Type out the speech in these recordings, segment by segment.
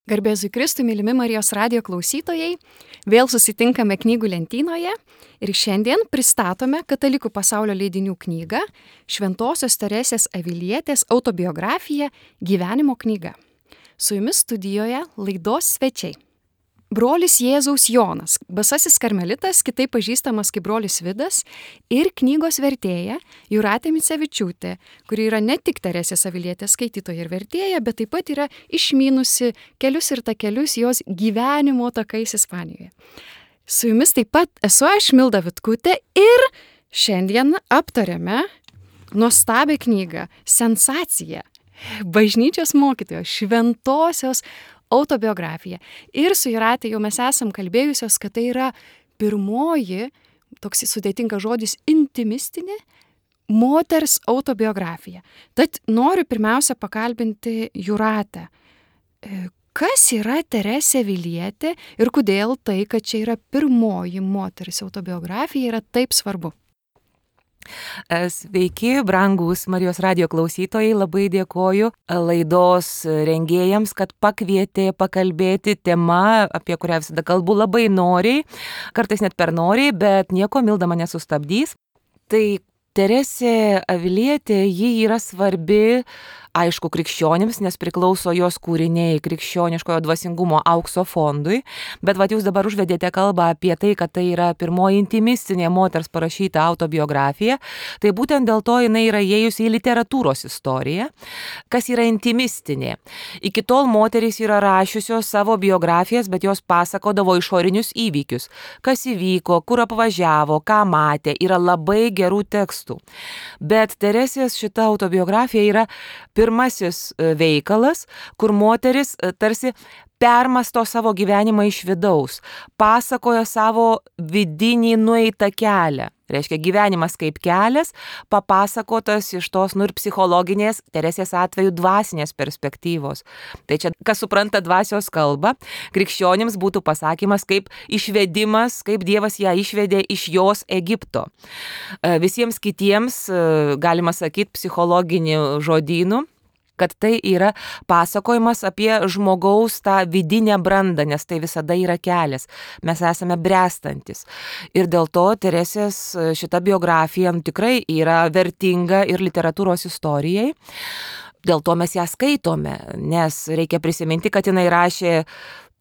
Garbėzui Kristui, mylimi Marijos radijo klausytojai, vėl susitinkame knygų lentynoje ir šiandien pristatome Katalikų pasaulio leidinių knygą Šventosios Teresės Avilietės autobiografija Gyvenimo knyga. Su jumis studijoje laidos svečiai. Brolis Jėzaus Jonas, basasis karmelitas, kitaip pažįstamas kaip brolis Vidas, ir knygos vertėja Jūratė Micevičiūtė, kuri yra ne tik Teresės Avilietės skaitytoja ir vertėja, bet taip pat yra išmynusi kelius ir takelius jos gyvenimo takais Ispanijoje. Su jumis taip pat esu aš, Milda Vitkutė, ir šiandien aptarėme nuostabią knygą Sensacija bažnyčios mokytojos Šventosios autobiografija. Ir su Jūratė jau mes esam kalbėjusios, kad tai yra pirmoji, toks sudėtingas žodis, intimistinė moters autobiografija. Tad noriu pirmiausia pakalbinti Jūratę. Kas yra Teresė Avilietė ir kodėl tai, kad čia yra pirmoji moters autobiografija, yra taip svarbu? Sveiki, brangūs Marijos radijo klausytojai, labai dėkoju laidos rengėjams, kad pakvietė pakalbėti tema, apie kurią visada kalbu labai noriai, kartais net per noriai, bet nieko, Milda mane sustabdys. Tai Teresė Avilietė, ji yra svarbi, aišku, krikščionims, nes priklauso jos kūriniai krikščioniškojo dvasingumo aukso fondui, bet jūs dabar užvedėte kalbą apie tai, kad tai yra pirmoji intimistinė moters parašyta autobiografija, tai būtent dėl to jinai yra įėjusi į literatūros istoriją. Kas yra intimistinė? Iki tol moterys yra rašiusios savo biografijas, bet jos pasakodavo išorinius įvykius, kas įvyko, kur apvažiavo, ką matė, yra labai gerų tekstų. Bet Teresės šita autobiografija yra pirmasis veikalas, kur moteris tarsi permasto savo gyvenimą iš vidaus, pasakoja savo vidinį nueitą kelią. Reiškia, gyvenimas kaip kelias, papasakotas iš tos ir psichologinės, Teresės atveju dvasinės perspektyvos. Tai čia, kas supranta dvasios kalbą, krikščionims būtų pasakymas kaip išvedimas, kaip Dievas ją išvedė iš jos Egipto. Visiems kitiems, galima sakyti, psichologinių žodynų, kad tai yra pasakojimas apie žmogaus tą vidinę brandą, nes tai visada yra kelias. Mes esame bręstantis. Ir dėl to Teresės šita biografija tikrai yra vertinga ir literatūros istorijai. Dėl to mes ją skaitome, nes reikia prisiminti, kad jinai rašė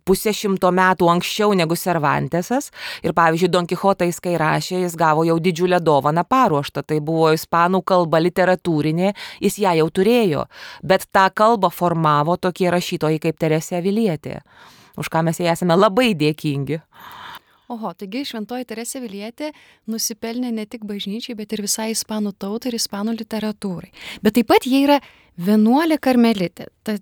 100 metų anksčiau negu Cervantesas. Ir pavyzdžiui, Don Kichotą jis kai rašė, jis gavo jau didžiulę dovaną paruoštą. Tai buvo ispanų kalba literatūrinė, jis ją jau turėjo. Bet tą kalbą formavo tokie rašytojai kaip Teresė Avilietė, už ką mes jai esame labai dėkingi. Oho, taigi Šventoji Teresė Avilietė nusipelnė ne tik bažnyčiai, bet ir visai ispanų tautai ir ispanų literatūrai. Bet taip pat jie yra vienuolė karmelitė. Tad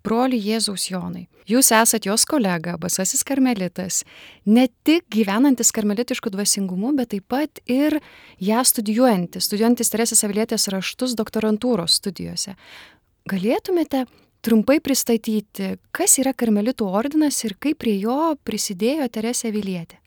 broli Jėzaus Jonai, jūs esat jos kolega, basasis karmelitas, ne tik gyvenantis karmelitišku dvasingumu, bet taip pat ir ją studijuojantis Teresės Avilietės raštus doktorantūros studijose. Galėtumėte trumpai pristatyti, kas yra karmelitų ordinas ir kaip prie jo prisidėjo Teresė Avilietė?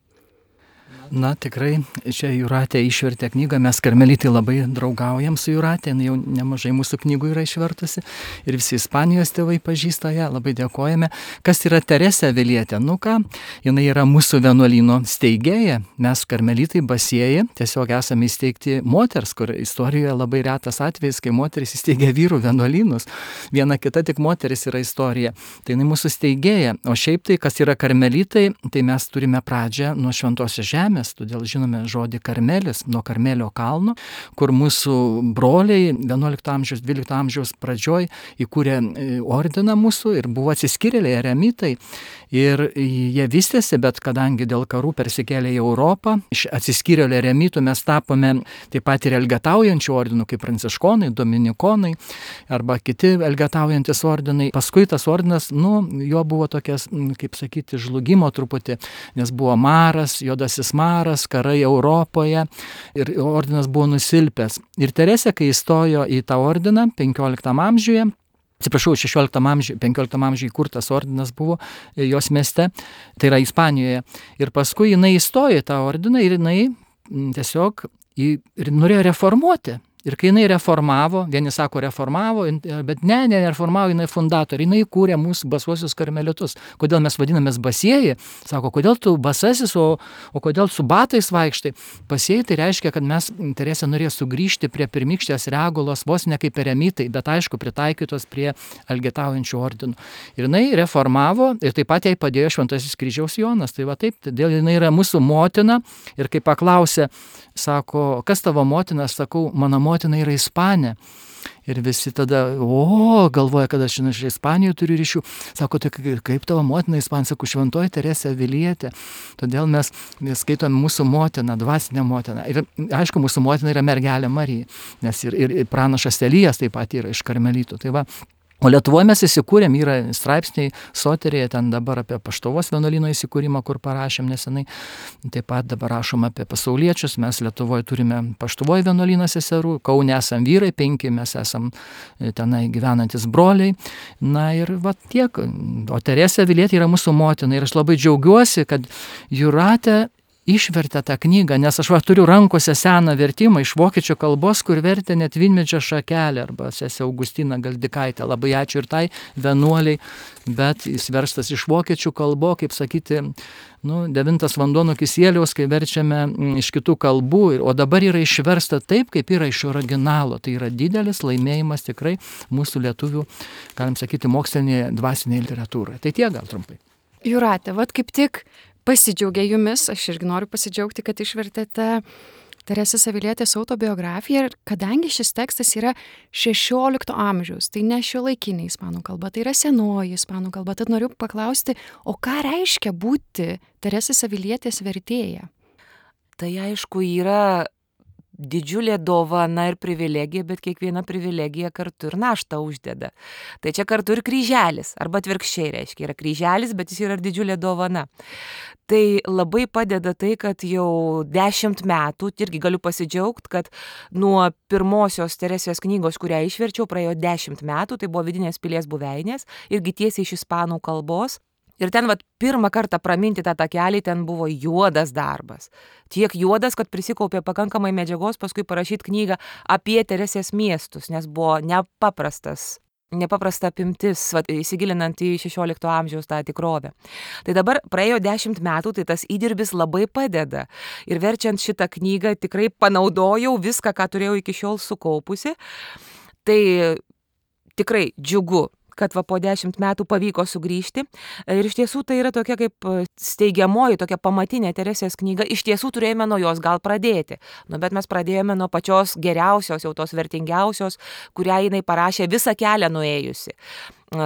Na, tikrai, čia Jūratė išvertė knygą, mes karmelitai labai draugaujam su Jūratė, jau nemažai mūsų knygų yra išvertusi ir visi Ispanijos tėvai pažįsta ją, labai dėkojame. Kas yra Teresė Avilietė? Nu ką, jinai yra mūsų vienuolyno steigėja, mes karmelitai basieji, tiesiog esame įsteigti moters, kur istorijoje labai retas atvejis, kai moteris įsteigia vyrų vienuolynus, viena kita tik moteris yra istorija, tai jinai mūsų steigėja, o šiaip tai, kas yra karmelitai, tai mes turime pradžią nuo Šventosios žemės, todėl žinome žodį Karmelis, nuo Karmelio kalno, kur mūsų broliai 11 amžiaus, 12 amžiaus pradžioj įkūrė ordiną mūsų ir buvo atsiskyrėliai eremitai ir jie vystėsi, bet kadangi dėl karų persikėlė į Europą, iš atsiskyrėlių eremitų mes tapome taip pat ir elgetaujančių ordinų, kaip pranciškonai, dominikonai arba kiti elgetaujantis ordinai. Paskui tas ordinas, jo buvo tokias, kaip sakyti, žlugimo truputį, nes buvo maras, juodasis maras, karai Europoje ir ordinas buvo nusilpęs. Ir Teresė, kai įstojo į tą ordiną 15 amžiuje, 16 amžiuje, 15 amžiuje įkurtas ordinas buvo jos mieste, tai yra Ispanijoje. Ir paskui jinai įstojo į tą ordiną ir jinai tiesiog ir norėjo reformuoti Ir kai jinai reformavo, vieni sako reformavo, bet ne reformavo, jinai fundatorė, jinai kūrė mūsų basuosius karmelitus. Kodėl mes vadinamės basieji? Sako, kodėl tu basasis, o kodėl su batais vaikštai? Basieji tai reiškia, kad mes, Teresė norėjo sugrįžti prie pirmykštės regulos, vos ne kaip eremitai, bet aišku pritaikytos prie elgetaujančių ordinų. Ir jinai reformavo ir taip pat jai padėjo Šventasis Kryžiaus Jonas. Tai va taip, todėl jinai yra mūsų motina ir kai paklausė, sako, kas tavo motina, aš sakau, mano motina yra Ispanė. Ir visi tada, galvoja, kad aš iš Ispanijos turiu ryšių. Sako, tai kaip tavo motina Ispanija? Sako, Šventoji Teresė Avilietė. Todėl mes skaitome mūsų motiną, dvasinę motiną. Ir aišku, mūsų motina yra mergelė Marija, nes ir pranašas Elijas taip pat yra iš karmelitų. Tai va. O Lietuvoje mes įsikūrėm, yra straipsniai Soterėje, ten dabar apie Paštuvos vienuolyno įsikūrimą, kur parašėm nesenai. Taip pat dabar rašom apie pasauliečius, mes Lietuvoje turime Paštuvoje vienuolyną seserų, Kaune esam vyrai 5, mes esam tenai gyvenantis broliai. Na ir va tiek. O Teresė Avilietė yra mūsų motina ir aš labai džiaugiuosi, kad Jūratė išvertė tą knygą, nes aš turiu rankose seną vertimą iš vokiečių kalbos, kur vertė net Vynmedžio Šakelė arba sesė Augustina Galdikaitė. Labai ačiū ir tai vienuoliai, bet jis verstas iš vokiečių kalbo, kaip sakyti, 9 vanduo nuo kisieliaus, kai verčiame iš kitų kalbų, o dabar yra išversta taip, kaip yra iš originalo. Tai yra didelis laimėjimas tikrai mūsų lietuvių, galim sakyti, mokslinėje dvasinėje literatūroje. Tai tiek gal trumpai. Jūratė, kaip tik pasidžiaugė jumis, aš irgi noriu pasidžiaugti, kad išvertėte Teresės Avilietės autobiografiją, ir kadangi šis tekstas yra 16 amžiaus, tai ne šiuolaikinė ispanų kalba, tai yra senoji ispanų kalba, tad noriu paklausti, o ką reiškia būti Teresės Avilietės vertėja? Tai aišku yra didžiulė dovana ir privilegija, bet kiekviena privilegija kartu ir naštą uždeda. Tai čia kartu ir kryželis, arba atvirkščiai reiškia, yra kryželis, bet jis yra ir didžiulė dovana. Tai labai padeda tai, kad jau 10 metų, irgi galiu pasidžiaugti, kad nuo pirmosios Teresės knygos, kurią išverčiau, praėjo 10 metų, tai buvo Vidinės pilies buveinės, irgi tiesiai iš ispanų kalbos. Ir ten pirmą kartą praminti tą takelį, ten buvo juodas darbas. Tiek juodas, kad prisikaupė pakankamai medžiagos paskui parašyti knygą apie Teresės miestus, nes buvo nepaprasta apimtis, įsigilinant į 16 amžiaus tą tikrovę. Tai dabar praėjo 10 metų, tai tas įdirbis labai padeda. Ir verčiant šitą knygą tikrai panaudojau viską, ką turėjau iki šiol sukaupusi. Tai tikrai džiugu, kad po 10 metų pavyko sugrįžti. Ir iš tiesų tai yra tokia kaip steigiamoji, tokia pamatinė Teresės knyga. Iš tiesų turėjome nuo jos gal pradėti. Bet mes pradėjome nuo pačios geriausios, jau tos vertingiausios, kurią jinai parašė visą kelią nuėjusi.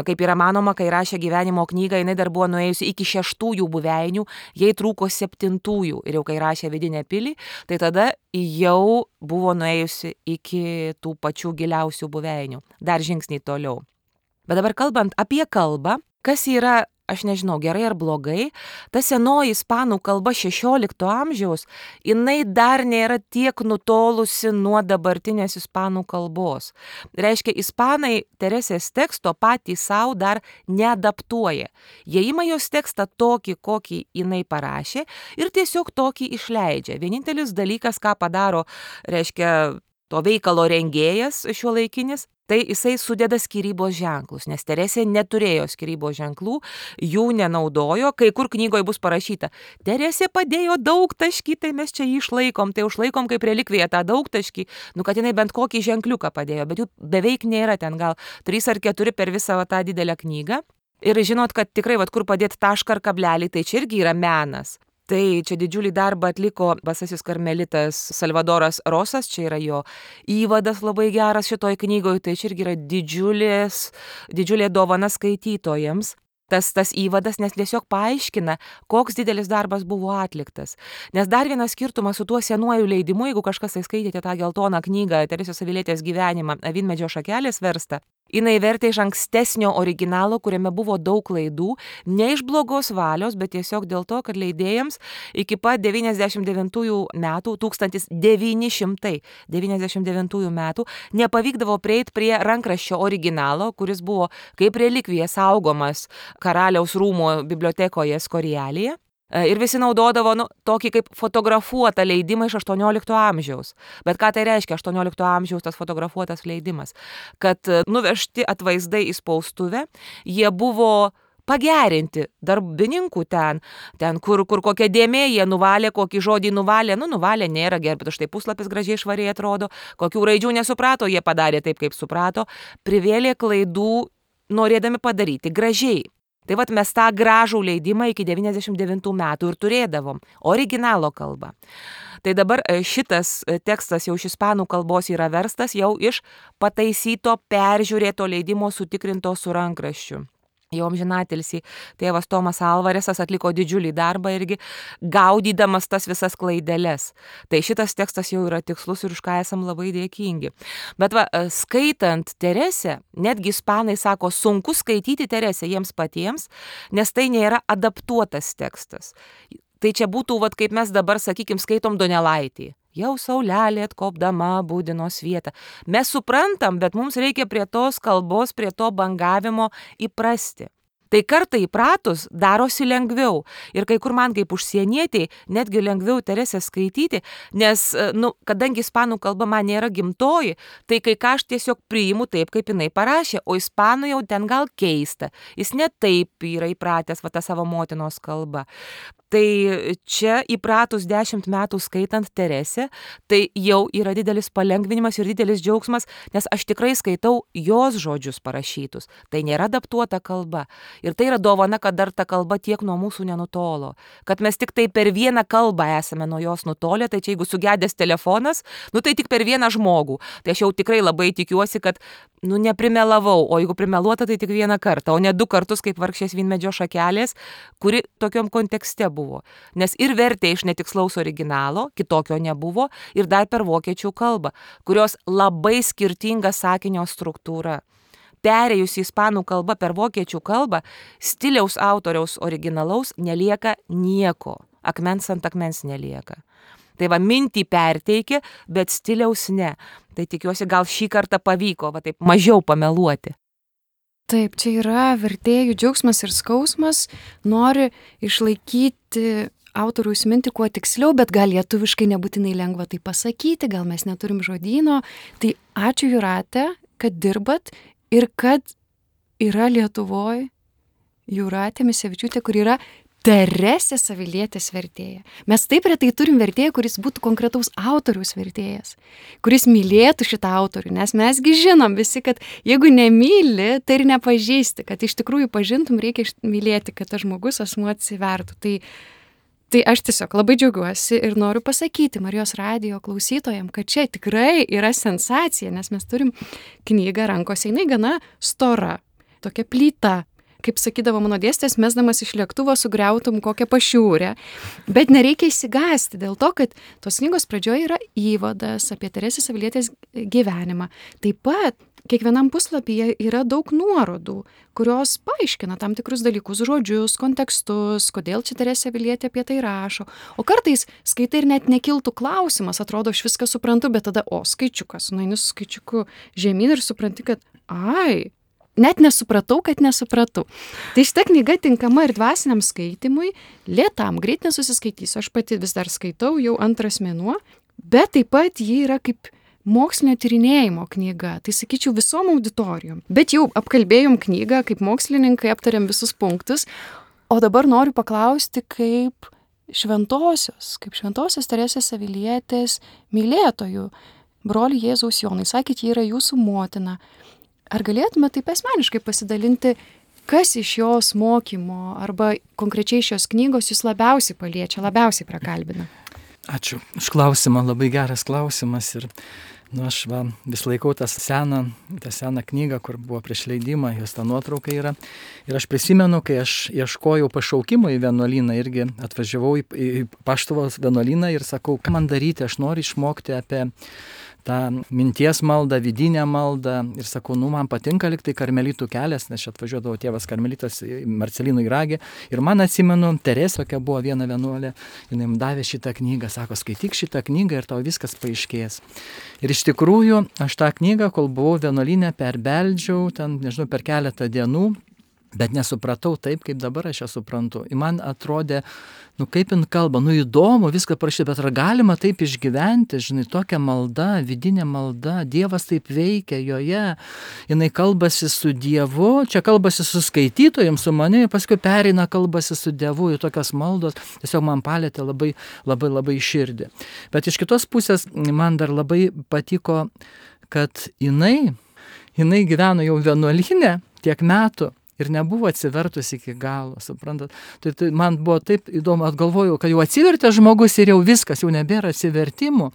Kaip yra manoma, kai rašė gyvenimo knygą, jinai dar buvo nuėjusi iki 6 buveinių, jai trūko 7. Ir jau kai rašė Vidinę pilį, tai tada jau buvo nuėjusi iki tų pačių giliausių buveinių. Dar žingsnį toliau. Bet dabar kalbant apie kalbą, kas yra, aš nežinau, gerai ar blogai, ta senoji ispanų kalba 16 amžiaus, jinai dar nėra tiek nutolusi nuo dabartinės ispanų kalbos. Reiškia, ispanai Teresės teksto patys savo dar neadaptuoja. Jie ima jos tekstą tokį, kokį jinai parašė, ir tiesiog tokį išleidžia. Vienintelis dalykas, ką padaro, reiškia, to veikalo rengėjas šiuolaikinis, tai jisai sudeda skyrybos ženklus, nes Teresė neturėjo skyrybos ženklų, jų nenaudojo, kai kur knygoje bus parašyta, Teresė padėjo daugtaškį, tai mes čia jį išlaikom, tai užlaikom kaip relikviją tą daugtaškį, kad jinai bent kokį ženkliuką padėjo, bet jų beveik nėra, ten gal 3 ar 4 per visą tą didelę knygą. Ir žinot, kad tikrai, kur padėti tašką ar kablelį, tai čia irgi yra menas. Tai čia didžiulį darbą atliko basasis karmelitas Salvadoras Rosas, čia yra jo įvadas labai geras šitoj knygoje, tai čia irgi yra didžiulė dovana skaitytojams. Tas įvadas, nes tiesiog paaiškina, koks didelis darbas buvo atliktas. Nes dar vienas skirtumas su tuo senuoju leidimu, jeigu kažkas skaitėte tą geltoną knygą Teresės Avilietės gyvenimą, Vynmedžio Šakelės verstą, jinai vertė iš ankstesnio originalo, kuriame buvo daug klaidų, ne iš blogos valios, bet tiesiog dėl to, kad leidėjams iki pat 1999 metų nepavykdavo prieiti prie rankraščio originalo, kuris buvo kaip relikvija saugomas karaliaus rūmų bibliotekoje Skorialėje. Ir visi naudodavo tokį kaip fotografuotą leidimą iš 18 amžiaus. Bet ką tai reiškia 18 amžiaus tas fotografuotas leidimas? Kad nuvežti atvaizdai į spaustuvę, jie buvo pagerinti darbininkų ten kur kokia dėmė, jie nuvalė, kokį žodį nuvalė, nuvalė nėra gerai, bet štai puslapis gražiai švariai atrodo, kokių raidžių nesuprato, jie padarė taip, kaip suprato, privėlė klaidų, norėdami padaryti gražiai. Tai vat mes tą gražų leidimą iki 99 metų ir turėdavom, originalo kalbą. Tai dabar šitas tekstas jau iš ispanų kalbos yra verstas jau iš pataisyto, peržiūrėto leidimo sutikrinto su rankraščiu. Jau amžinatilsį tėvas Tomas Alvaresas atliko didžiulį darbą irgi gaudydamas tas visas klaideles. Tai šitas tekstas jau yra tikslus ir už ką esam labai dėkingi. Bet skaitant Teresę, netgi ispanai sako, sunku skaityti Teresę jiems patiems, nes tai nėra adaptuotas tekstas. Tai čia būtų, kaip mes dabar, sakykim, skaitom Donelaitį. Jau saulelė atkopdama būdinos vietą. Mes suprantam, bet mums reikia prie tos kalbos, prie to bangavimo įprasti. Tai kartą įpratus darosi lengviau. Ir kai kur man kaip užsienietiai netgi lengviau Teresę skaityti, nes, kadangi ispanų kalba man nėra gimtoji, tai kai ką aš tiesiog priimu taip, kaip jinai parašė, o ispanų jau ten gal keista. Jis ne taip yra įpratęs tą savo motinos kalbą. Tai čia įpratus 10 metų skaitant Teresę, tai jau yra didelis palengvinimas ir didelis džiaugsmas, nes aš tikrai skaitau jos žodžius parašytus. Tai nėra adaptuota kalba. Ir tai yra dovana, kad dar ta kalba tiek nuo mūsų nenutolo. Kad mes tik tai per vieną kalbą esame nuo jos nutolę, tai čia jeigu sugedęs telefonas, tai tik per vieną žmogų. Tai aš jau tikrai labai tikiuosi, kad neprimelavau, o jeigu primeluota, tai tik vieną kartą, o ne 2 kartus kaip vargšės vynmedžio šakelės, kuri tokiom kontekste buvo. Nes ir vertė iš netikslaus originalo, kitokio nebuvo, ir dar per vokiečių kalbą, kurios labai skirtinga sakinio struktūra. Perėjus į ispanų kalbą per vokiečių kalbą, stiliaus autoriaus originalaus nelieka nieko. Akmens ant akmens nelieka. Tai mintį perteikė, bet stiliaus ne. Tai tikiuosi, gal šį kartą pavyko, taip mažiau pameluoti. Taip, čia yra vertėjų džiaugsmas ir skausmas, nori išlaikyti autoriaus mintį kuo tiksliau, bet gal lietuviškai nebūtinai lengva tai pasakyti, gal mes neturim žodyno. Tai ačiū Jūrate, kad dirbat ir kad yra Lietuvoje Jūratė Misevičiūtė, kur yra Teresės Avilietės vertėja. Mes taip retai turim vertėją, kuris būtų konkretaus autoriaus vertėjas, kuris mylėtų šitą autorių, nes mesgi žinom visi, kad jeigu nemyli, tai ir nepažįsti, kad iš tikrųjų pažintum, reikia mylėti, kad tas žmogus asmuo atsivertų. Tai aš tiesiog labai džiaugiuosi ir noriu pasakyti Marijos radijo klausytojams, kad čia tikrai yra sensacija, nes mes turim knygą rankose, jinai gana stora, tokia plyta. Kaip sakydavo mano dėstytojas, mesdamas iš lėktuvo sugriautum kokią pašiūrę. Bet nereikia išsigąsti dėl to, kad tos knygos pradžioje yra įvadas apie Teresės Avilietės gyvenimą. Taip pat kiekvienam puslapyje yra daug nuorodų, kurios paaiškina tam tikrus dalykus, žodžius, kontekstus, kodėl čia Teresė Avilietė apie tai rašo. O kartais skaitai ir net nekiltų klausimas, atrodo, aš viską suprantu, bet tada, skaičiukas, nueini su skaičiuku žemyn ir supranti, kad net nesupratau, kad nesupratau. Tai šita knyga tinkama ir dvasiniam skaitimui, lėtam, greit nesusiskaitysiu, aš pati vis dar skaitau, jau 2 mėnuo, bet taip pat ji yra kaip mokslinio tyrinėjimo knyga, tai sakyčiau visom auditorijom. Bet jau apkalbėjom knygą, kaip mokslininkai aptarėm visus punktus, o dabar noriu paklausti, kaip šventosios Teresės Avilietės mylėtojų, broli Jėzaus Jonai, sakėt, ji yra jūsų motina. Ar galėtume taip asmeniškai pasidalinti, kas iš jos mokymo arba konkrečiai šios knygos jūs labiausiai paliečia, labiausiai prakalbina? Ačiū už klausimą, labai geras klausimas. Ir aš vis laikau tą seną knygą, kur buvo prieš leidimą, jos ta nuotrauka yra. Ir aš prisimenu, kai aš ieškojau pašaukimo į vienuolyną, irgi atvažiavau į Paštuvos vienuolyną ir sakau, ką man daryti, aš noriu išmokti apie tą minties maldą, vidinę maldą. Ir sakau, man patinka liktai karmelitų kelias, nes čia atvažiuodavo tėvas karmelitas Marcelinų Iragė. Ir man atsimenu, Teresė, tokia buvo viena vienuolė, jinai man davė šitą knygą, sako, skaityk šitą knygą ir tau viskas paaiškės. Ir iš tikrųjų, aš tą knygą, kol buvau vienuolyne, perbeldžiau, ten, nežinau, per keletą dienų. Bet nesupratau taip, kaip dabar aš ją suprantu. Ir man atrodė, kaip jin kalba, įdomu, viską parašyti, bet ar galima taip išgyventi, žinai, tokia malda, vidinė malda, Dievas taip veikia joje, jinai kalbasi su Dievu, čia kalbasi su skaitytojams, su manimi, paskui pereina kalbasi su Dievu, ir tokios maldos tiesiog man palėtė labai, labai, labai širdį. Bet iš kitos pusės man dar labai patiko, kad jinai gyveno jau vienuolyne tiek metų, ir nebuvo atsivertus iki galo, suprantat. Tai man buvo taip įdomu, atgalvojau, kad jau atsivertė žmogus ir jau viskas, jau nebėra atsivertimų.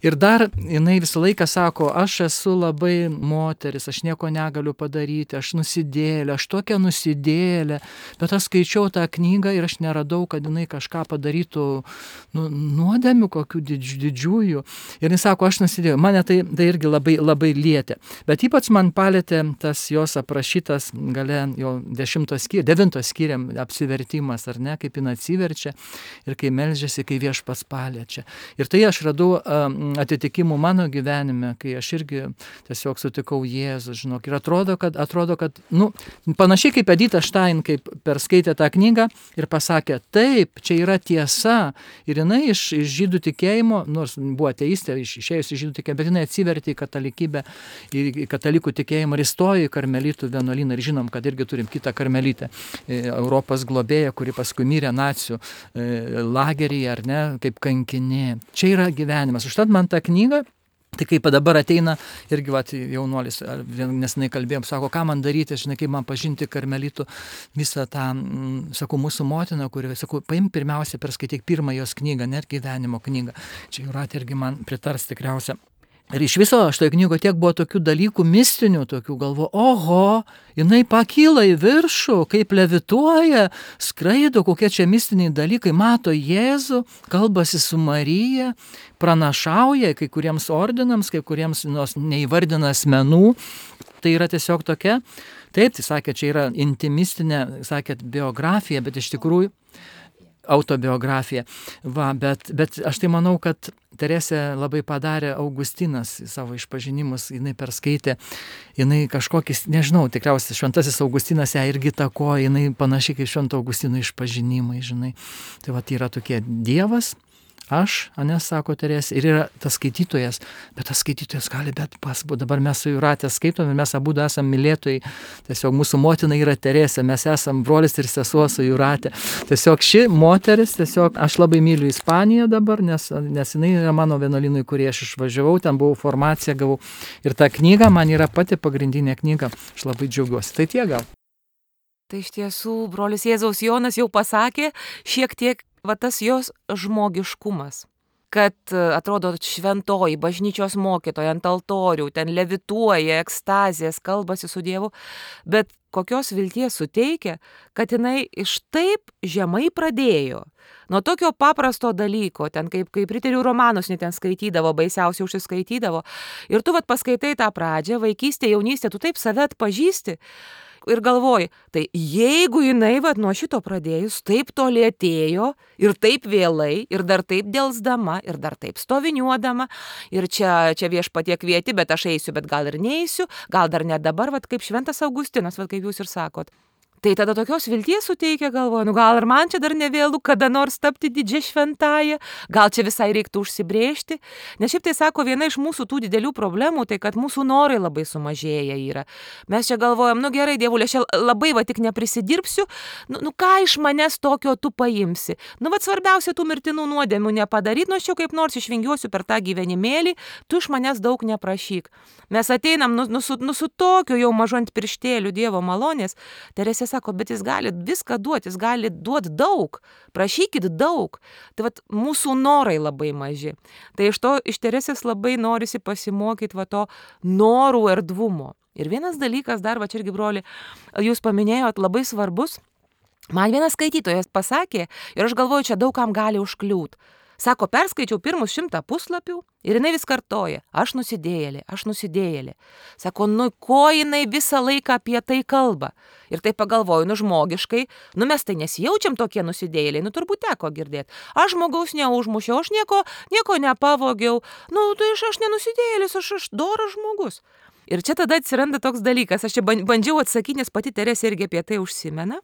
Ir dar jinai visą laiką sako, aš esu labai moteris, aš nieko negaliu padaryti, aš nusidėlė, aš tokia nusidėlė, bet aš skaičiau tą knygą ir aš neradau, kad jinai kažką padarytų nuodėmių kokių didžiųjų. Ir jinai sako, aš nusidėjau. Mane tai irgi labai, labai lietė. Bet ypač man palėtė tas jos aprašytas gale jo 9 skyriam apsivertimas, ar ne, kaip jinai atsiverčia ir kai meldžiasi, kai Viešpats paliečia. Ir tai aš radau atitikimų mano gyvenime, kai aš irgi tiesiog sutikau Jėzų, žinok. Ir atrodo, kad panašiai kaip Edita Stein, kaip perskaitė tą knygą ir pasakė, taip, čia yra tiesa. Ir jinai iš žydų tikėjimo, nors buvo ateistė, išėjus iš žydų tikėjimo, bet jinai atsivertė į katalikybę, į katalikų tikėjimą ir įstojo į karmelitų vienuolyną. Ir žinom, kad irgi turim kitą karmelitę, Europos globėją, kuri paskui mirė nacių lageryje, ar ne, kaip kankinė. Čia yra gyvenimas. Užtat man tą knygą, tai kaip dabar ateina irgi jaunuolis, nesenai kalbėjom, sako, ką man daryti, žinai, kaip man pažinti karmelitų visą tą, sakau, mūsų motiną, kuri, sakau, paim pirmiausia perskaityk pirmą jos knygą, net gyvenimo knygą. Čia Jūratė irgi man pritars tikriausia. Ir iš viso šitoje knygoje tiek buvo tokių dalykų mistinių, tokių galvo, oho, jinai pakyla į viršų, kaip levituoja, skraido, kokie čia mistiniai dalykai, mato Jėzų, kalbasi su Marija, pranašauja kai kuriems ordinams, kai kuriems neįvardina asmenų. Tai yra tiesiog tokia, taip, tai sakė, čia yra intimistinė, sakėt, biografija, bet iš tikrųjų autobiografija. Bet aš tai manau, kad Teresė labai padarė Augustinas savo išpažinimus, jinai perskaitė, jinai kažkokis, nežinau, tikriausiai šventasis Augustinas ją irgi takoja, jinai panašiai kaip švento Augustino išpažinimai, žinai. Tai yra tokie Dievas, aš, sako Teresė, ir yra tas skaitytojas, bet tas skaitytojas gali dabar mes su Jūrate skaitom ir mes abu esame mylėtojai, tiesiog mūsų motina yra Teresė, mes esame brolis ir sesuo su Jūrate. Tiesiog ši moteris, aš labai myliu Ispaniją dabar, nes jinai yra mano vienuolynui, kurį aš išvažiavau, ten buvau formaciją, gavau ir ta knyga man yra pati pagrindinė knyga, aš labai džiaugiuosi. Tai tiek gal. Tai iš tiesų, brolis Jėzaus Jonas jau pasakė šiek tiek tas jos žmogiškumas, kad atrodo šventoji bažnyčios mokytoja ant altorių, ten levituoja, ekstazijas, kalbasi su Dievu, bet kokios vilties suteikia, kad jinai iš taip žemai pradėjo. Nuo tokio paprasto dalyko, ten kaip riterių romanus net ten skaitydavo, baisiausiai užsiskaitydavo. Ir tu paskaitai tą pradžią, vaikystė, jaunystė, tu taip save atpažįsti. Ir galvoji, tai jeigu jinai nuo šito pradėjus taip toli atėjo ir taip vėlai, ir dar taip delsdama, ir dar taip stoviniuodama, ir čia Viešpatie kvieti, bet aš eisiu, bet gal ir neisiu, gal dar ne dabar, kaip šventas Augustinas, kaip jūs ir sakot. Tai tada tokios vilties suteikia, galvoju, gal ir man čia dar nevėlu kada nors tapti didžia šventąja, gal čia visai reiktų užsibrėžti. Nes šiaip tai sako, viena iš mūsų tų didelių problemų, tai kad mūsų norai labai sumažėja yra. Mes čia galvojam, gerai, Dievulė, aš labai tik neprisidirbsiu, ką iš manęs tokio tu paimsi. Svarbiausia tų mirtinų nuodėmių nepadaryti, aš jau kaip nors išvingiuosiu per tą gyvenimėlį, tu iš manęs daug neprašyk. Mes ateinam su tokiu jau mažu ant pirštėlių Dievo malonės. Teresė sako, bet jis gali viską duoti, jis gali duoti daug, prašykit daug. Tai mūsų norai labai maži. Tai iš Teresės labai norisi pasimokyti to norų erdvumo. Ir vienas dalykas dar, čia irgi broli, jūs paminėjot labai svarbus, man vienas skaitytojas pasakė, ir aš galvoju, čia daug kam gali užkliūt. Sako, perskaičiau pirmus 100 puslapių ir jinai vis kartoja, aš nusidėjėlė. Sako, ko jinai visą laiką apie tai kalba. Ir tai pagalvoju, žmogiškai, mes tai nesijaučiam tokie nusidėjėliai, turbūt teko girdėti. Aš žmogaus neužmušiau, aš nieko nepavogiau, tai aš nenusidėjėlis, aš doras žmogus. Ir čia tada atsiranda toks dalykas, aš čia bandžiau atsakyti, nes pati Teresė irgi apie tai užsimena,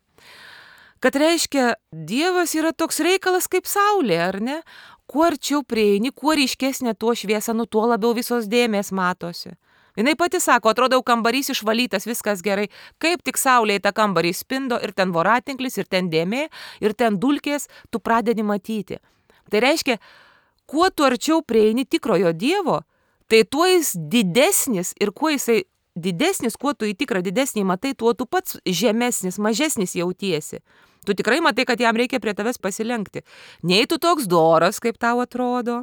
kad reiškia, Dievas yra toks reikalas kaip saulė, ar ne? Kuo arčiau prieini, kuo ryškesnė tuo šviesa, tuo labiau visos dėmės matosi. Jinai pati sako, atrodo, kambarys išvalytas, viskas gerai, kaip tik saulė į tą kambarį spindo ir ten voratinklis, ir ten dėmė, ir ten dulkės, tu pradedi matyti. Tai reiškia, kuo tu arčiau prieini tikrojo Dievo, tai tuo jis didesnis ir kuo jisai didesnis, kuo tu į tikrą didesnį matai, tuo tu pats žemesnis, mažesnis jautiesi. Tu tikrai matai, kad jam reikia prie tavęs pasilenkti. Nei tu toks doras, kaip tau atrodo,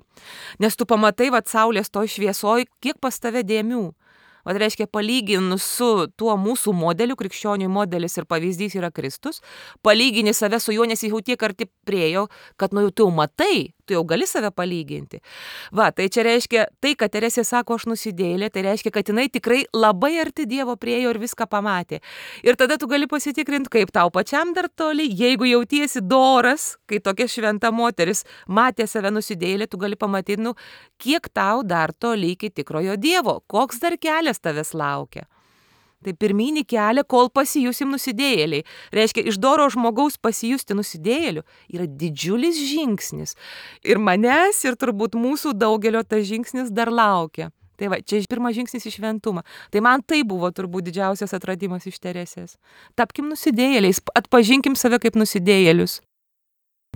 nes tu pamatai, saulės toj šviesoj, kiek pas tave dėmių. Reiškia, palyginus su tuo mūsų modeliu, krikščionių modelis ir pavyzdys yra Kristus, palygini save su juo, nes jau tiek arti priejo, kad tu jau matai, tu jau gali save palyginti. Tai čia reiškia, tai, kad Teresė sako, aš nusidėjėlė, tai reiškia, kad jinai tikrai labai arti Dievo priejo ir viską pamatė. Ir tada tu gali pasitikrinti, kaip tau pačiam dar toli, jeigu jautiesi doras, kai tokia šventa moteris matė save nusidėjėlė, tu gali pamatyti, kiek tau dar toli iki tikrojo Dievo, koks dar kelias tavęs laukia. Tai pirminį kelią, kol pasijusim nusidėjėliai. Reiškia, iš doro žmogaus pasijusti nusidėjėliu yra didžiulis žingsnis. Ir manęs, ir turbūt mūsų daugelio tas žingsnis dar laukia. Tai čia pirmas žingsnis į šventumą. Tai man tai buvo turbūt didžiausias atradimas iš Teresės. Tapkim nusidėjėliais, atpažinkim save kaip nusidėjėlius.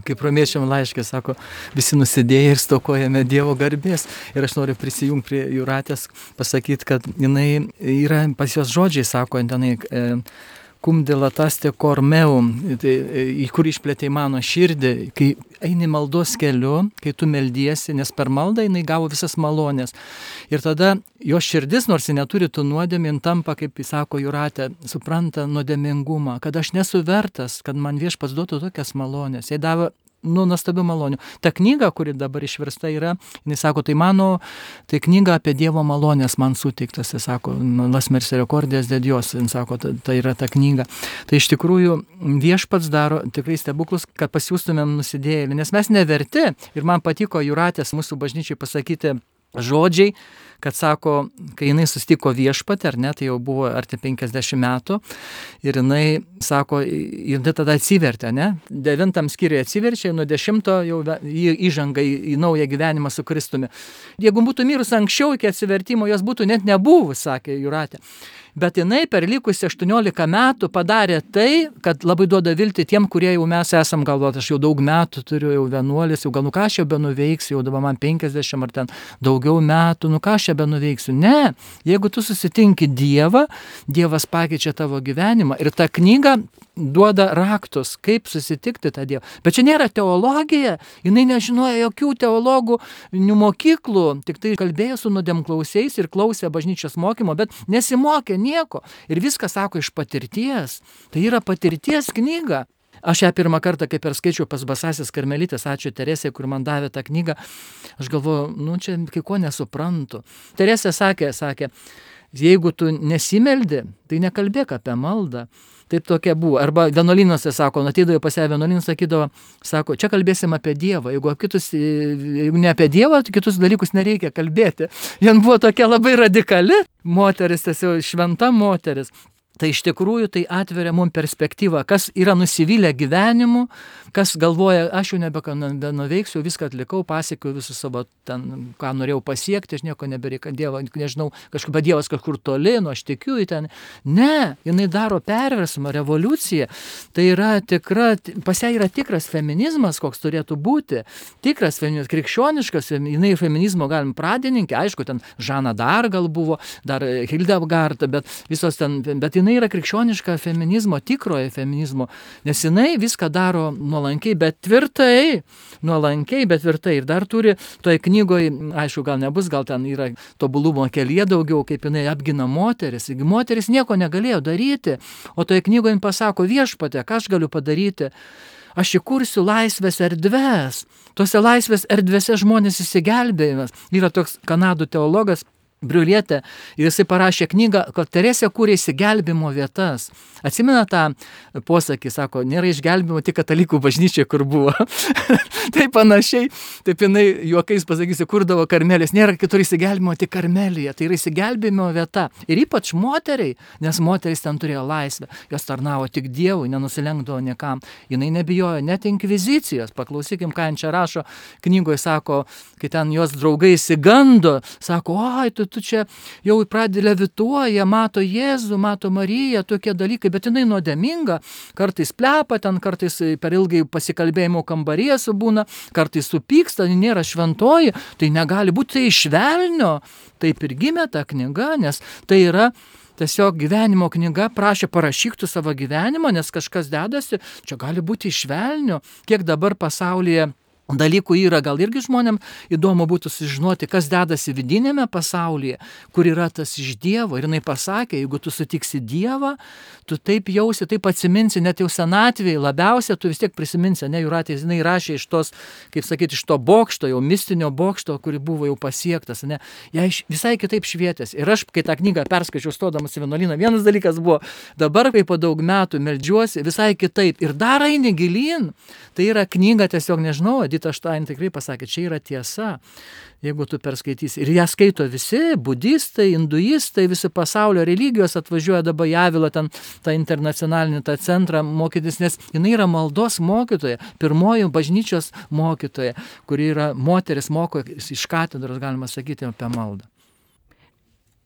Kaip romiečiam laiške sako, visi nusidėję ir stokojame Dievo garbės. Ir aš noriu prisijungti prie Jūratės, pasakyti, kad jinai yra, pas jos žodžiai sako, tenai cum dilataste cor meum, į kur išplėtė mano širdį, kai eini maldos keliu, kai tu meldiesi, nes per maldą jinai gavo visas malonės. Ir tada jos širdis, nors ji neturi tų nuodėmių, tampa, kaip jis sako Jūratė, supranta nuodėmingumą, kad aš nesu vertas, kad man Viešpats duotų tokias malonės. Jai davė nuostabių malonių. Ta knyga, kuri dabar išversta yra, jis sako, tai knyga apie Dievo malonės man suteiktas, jis sako, Las Misericordijas de Dios, jis sako, tai yra ta knyga. Tai iš tikrųjų Viešpats daro tikrai stebuklus, kad pasijustumėm nusidėjėlį, nes mes neverti. Ir man patiko Jūratės mūsų bažnyčiai pasakyti žodžiai, kad sako, kai jinai susitiko Viešpatį, ar ne, tai jau buvo arti 50 metų, ir jinai sako, jinai tada atsivertė, ne, 9 skyriuje atsiverčia, nuo 10 jau įžanga į naują gyvenimą su Kristumi. Jeigu būtų mirus anksčiau iki atsivertimo, jos būtų net nebuvus, sakė Jūratė. Bet jinai per likusį 18 metų padarė tai, kad labai duoda viltį tiem, kurie jau mes esam galvoti, aš jau daug metų turiu, jau vienuolis, jau gal ką aš jau benuveiksiu, jau dabar man 50 ar ten daugiau metų, ką aš čia benuveiksiu. Ne, jeigu tu susitinki Dievą, Dievas pakeičia tavo gyvenimą ir ta knyga duoda raktus, kaip susitikti tą Dievą. Bet čia nėra teologija, jinai nežinojo jokių teologų mokyklų, tik tai kalbėjo su nuodėmklausiais ir klausė bažnyčios mokymo, bet nesimokė nieko. Ir viską sako iš patirties. Tai yra patirties knyga. Aš ją pirmą kartą, kai perskaičiau pas Basąsias karmelitės, ačiū Teresė, kur man davė tą knygą, aš galvoju, čia kai ko nesuprantu. Teresė sakė, jeigu tu nesimeldi, tai nekalbėk apie maldą. Taip tokia buvo. Arba vienuolynuose sako, ateidavo pas ją vienuolynus, sakydavo, sako, čia kalbėsim apie Dievą. Jeigu ne apie Dievą, tai kitus dalykus nereikia kalbėti. Jien buvo tokia labai radikali moteris, tiesiog šventa moteris. Tai iš tikrųjų tai atveria mums perspektyvą, kas yra nusivylę gyvenimu, kas galvoja, aš jau nebenuveiksiu, viską atlikau, pasiekiau visus savo ten, ką norėjau pasiekti, aš nieko nebereikia, nežinau, kažkaip Dievas kažkur toli, aš tikiu į ten. Ne, jinai daro perversmą, revoliuciją. Tai yra pas ją yra tikras feminizmas, koks turėtų būti. Tikras feminizmas, krikščioniškas, jinai feminizmo galim pradininkė, aišku, ten Žana dar gal buvo, dar Hildegard, bet visos ten, bet jinai yra krikščioniška feminizmo, tikroje feminizmo, nes jinai viską daro nuolankiai, bet tvirtai. Ir dar turi toje knygoje, aišku, gal nebus, gal ten yra tobulumo kelyje daugiau, kaip jinai apgina moteris. Moteris nieko negalėjo daryti, o toje knygoje pasako, Viešpatie, ką aš galiu padaryti? Aš įkursiu laisvės erdves. Tose laisvės erdvėse žmonės įsigelbėjimas. Yra toks Kanadų teologas Briulietė, ir jisai parašė knygą, kad Teresė kūrė išsigelbimo vietas. Atsimena tą posakį, sako, nėra išgelbimo tik katalikų bažnyčia, kur buvo. Tai panašiai, taip jinai juokais pasakysiu, kurdavo Karmelės, nėra kitur išsigelbimo tik Karmelėje, tai yra išsigelbimo vieta. Ir ypač moteriai, nes moteris ten turėjo laisvę, jos tarnavo tik Dievui, nenusilenkdavo niekam. Jinai nebijojo net inkvizicijos, paklausykim, ką jin čia rašo knygoje, sako, kai ten jos draugai išsigando, sako, oi, tu čia jau pradedi levituoja, mato Jėzų, mato Mariją, tokie dalykai, bet jinai nuodėminga, kartais plepa, ten kartais per ilgai pasikalbėjimo kambaryje subūna, kartais supyksta, nėra šventoji, tai negali būti, tai iš velnio. Taip ir gimė ta knyga, nes tai yra tiesiog gyvenimo knyga, prašė parašyk tu savo gyvenimą, nes kažkas dedasi, čia gali būti iš velnio, kiek dabar pasaulyje dalykų yra, gal irgi žmonėm įdomu būtų sužinoti, kas dedasi vidinėme pasaulyje, kur yra tas iš Dievo. Ir jinai pasakė, jeigu tu sutiksi Dievą, tu taip jausi, taip atsiminsi, net jau senatvėje labiausia, tu vis tiek prisiminsi, ne, Jūratė, jinai rašė iš tos, kaip sakyti, iš to bokšto, jau mistinio bokšto, kuri buvo jau pasiektas, ne, jai visai kitaip švietėsi. Ir aš, kai tą knygą perskaičiau stodamas į vienuolyną, vienas dalykas buvo, dabar, kai po daug metų meldžiuosi, visai kitaip. Ir dar eini gilyn. Tai yra knyga, tiesiog nežinau, Edita Štain tikrai pasakė, čia yra tiesa, jeigu tu perskaitysi. Ir ją skaito visi, budistai, hinduistai, visi pasaulio religijos atvažiuoja dabar į Avilą, ten tą internacionalinį tą centrą mokytis, nes jinai yra maldos mokytoja, pirmoji bažnyčios mokytoja, kuri yra moteris, moko iš katedros, galima sakyti, apie maldą.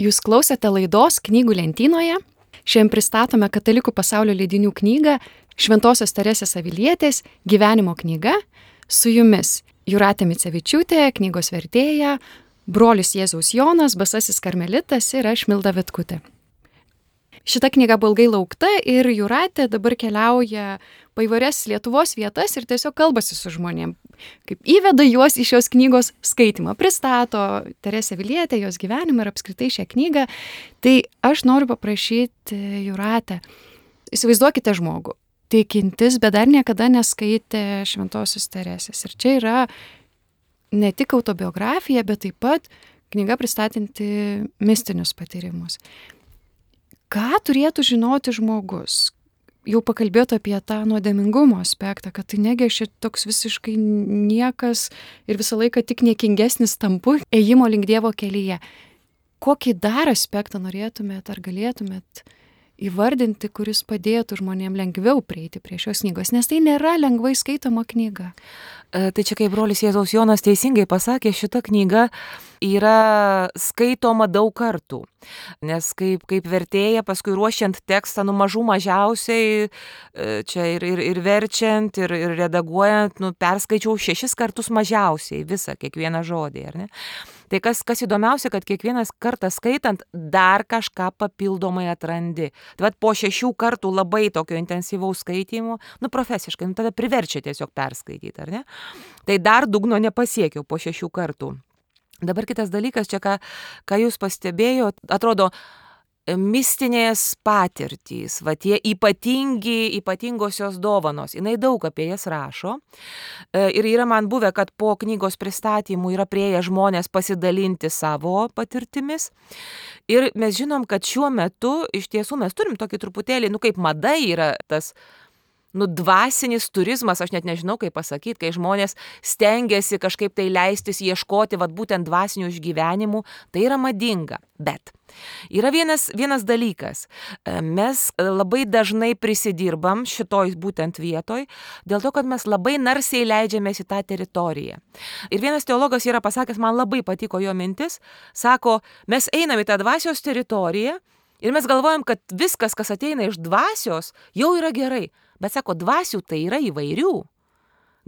Jūs klausėte laidos Knygų lentynoje. Šiandien pristatome Katalikų pasaulio leidinių knygą Šventosios Teresės Avilietės gyvenimo knyga. Su jumis Jūratė Micevičiūtė, knygos vertėja, brolis Jėzaus Jonas, basasis karmelitas ir aš Milda Vitkutė. Šita knyga buvo ilgai laukta ir Jūratė dabar keliauja po įvairias Lietuvos vietas ir tiesiog kalbasi su žmonėm, kaip įveda juos į šios knygos skaitimą, pristato Teresę Avilietę, jos gyvenimą ir apskritai šią knygą. Tai aš noriu paprašyti Jūratę, įsivaizduokite žmogų, tikintis, bet dar niekada neskaitė Šventosios Teresės. Ir čia yra ne tik autobiografija, bet taip pat knyga pristatanti mistinius patyrimus. Ką turėtų žinoti žmogus? Jau pakalbėtų apie tą nuodėmingumo aspektą, kad tai negi aš toks visiškai niekas ir visą laiką tik niekingesnis tampu ėjimo link Dievo kelyje. Kokį dar aspektą norėtumėt ar galėtumėt įvardinti, kuris padėtų žmonėm lengviau prieiti prie šios knygos, nes tai nėra lengvai skaitoma knyga. Tai čia, kaip brolis Jėzaus Jonas teisingai pasakė, šita knyga yra skaitoma daug kartų. Nes kaip vertėja, paskui ruošiant tekstą, mažų mažiausiai, čia ir verčiant, ir redaguojant, perskaičiau 6 kartus mažiausiai visą, kiekvieną žodį, ar ne? Tai kas įdomiausia, kad kiekvienas kartą skaitant dar kažką papildomai atrandi. Tai po 6 kartų labai tokio intensyvaus skaitymo, profesiškai, tada priverčia tiesiog perskaityti, ar ne? Tai dar dugno nepasiekiau po 6 kartų. Dabar kitas dalykas, čia ką jūs pastebėjot, atrodo, mistinės patirtys, tie ypatingosios dovanos, jinai daug apie jas rašo. Ir yra man buvę, kad po knygos pristatymų yra prieėję žmonės pasidalinti savo patirtimis. Ir mes žinom, kad šiuo metu iš tiesų mes turim tokį truputėlį, kaip mada yra tas dvasinis turizmas, aš net nežinau, kaip pasakyti, kai žmonės stengiasi kažkaip tai leistis ieškoti būtent dvasinių išgyvenimų, tai yra madinga. Bet yra vienas dalykas. Mes labai dažnai prisidirbam šitoj būtent vietoj, dėl to, kad mes labai narsiai leidžiamės į tą teritoriją. Ir vienas teologas yra pasakęs, man labai patiko jo mintis, sako, mes einam į tą dvasios teritoriją ir mes galvojam, kad viskas, kas ateina iš dvasios, jau yra gerai. Bet sako, dvasių tai yra įvairių.